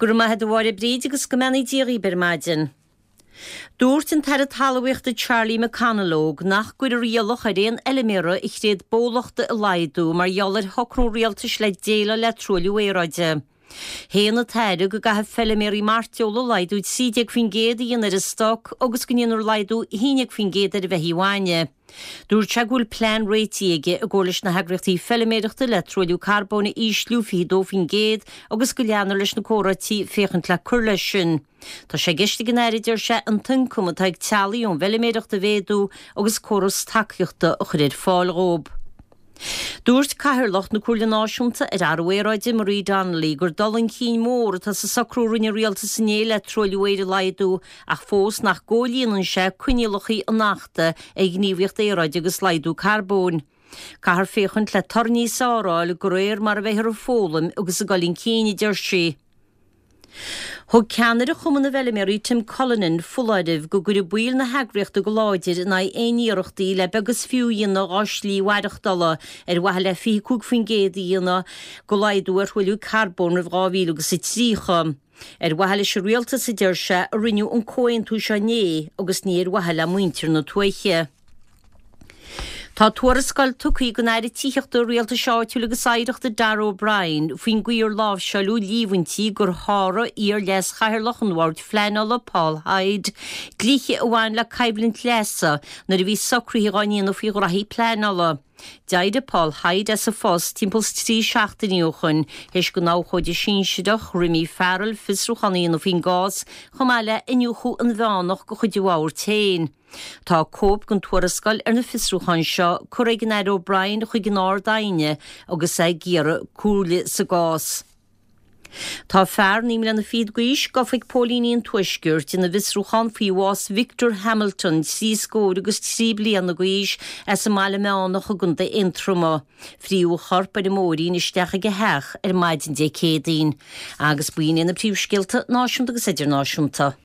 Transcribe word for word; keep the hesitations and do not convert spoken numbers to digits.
Go raibh maith agat a Mháire Bríd agus go mbeannaí Dia dhaoibh ar maidin. Dúirt an tAire Talmhaíochta Charlie McConalogue nach gcuirfear iallach ar aon fheilméara a thréad bólachta a laghdú mar gheall ar shocrú rialtais le déileáil le truailliú aeráide. Shéan an tAire go gcaithfidh feilméaraí mairteola laghdú trí déag faoin gcéad a dhéanamh ar a stoc agus go ndéanfar laghdú a haon déag faoin gcéad ar an bheithígh bhainne. Dúirt sé go bhfuil plean réitithe aige i gcomhar leis na heagraíochtaí feilméireachta le truailliú carbóin a ísliú fiche dó faoin gcéad agus go leanfar leis na comhráití féachaint le cur leis sin. Tá sé i gceist ag an Aire, deir sé, an t-ioncam atá ag teaghlaigh ón bhfeilméireacht a mhéadú agus córas tacaíochta a chur ar fáil dhóibh. Dúirt Cathaoirleach na Comhairle Náisiúnta ar Athrú Aeráide, Marie Donnelly, gur dul chun cinn mór atá sa socrú a rinne an rialtas inné le truailliú aeir a laghdú ach fós nach gcomhlíonann sé coinníollacha an Achta ar Ghníomhaíocht Aeráide agus Laghdú Carbóin. Caithfear féachaint le toradh níos fearr a fháil de réir mar a bheifear ag foghlaim agus ag dul chun cinn, a deir sí. Thug ceannaire Chumann na bhFeilméaraí Tim Cullinan foláireamh go gcuirfidh baill na heagraíochta go láidir in aghaidh aon iarrachtaí le beag is fiú a dhéanamh dá slí mhaireachtála ar mhaithe le fiche cúig faoin gcéad a dhéanamh de laghdú ar thruailliú carbóin roimh dhá mhíle agus a tríocha. Ar mhaithe leis an rialtas, a deir sé, a rinneadh an comhaontú seo inné agus ní ar mhaithe le muintir na tuaithe. Tá tuarascáil tugtha ag an Aire Tithíochta, Rialtais Áitiúil agus Oidhreachta Darragh O'Brien faoin gcaoi ar láimhseáileadh líomhaintí gur sháraigh iar-leas-chathaoirleach an Bhoird Phleanála Paul Hyde dlíthe a bhain le coimhlint leasa nuair a bhí socruithe á ndéanamh faoi ghraithí pleanála. D'éirigh Paul Hyde as a phost timpeall is trí seachtainí ó shoin théis don abhcóide sinsearach Remy Farrell fiosrúchán a dhéanamh faoin gcás chomh maith le iniúchadh inmheánach de chuid an bhoird féin. Tá cóip den tuarascáil ar na fiosrúcháin seo curtha ag an Aire O'Brien chuig an Ard-Aighne agus é ag iarraidh comhairle sa gcás. Tá fear naoi mbliana fichead d'aois gafa ag póilíní an Tuaiscirt ina bhfiosrúchán faoi bhás Victor Hamilton, trí scór agus trí bliana d'aois, as an mBaile Meánach i gContae Aontroma. Frítheadh a chorp ar an mbóithrín isteach ag a theach ar maidin Dé Céadaoin. Agus b'in iad na príomhscéalta náisiúnta agus idirnáisiúnta.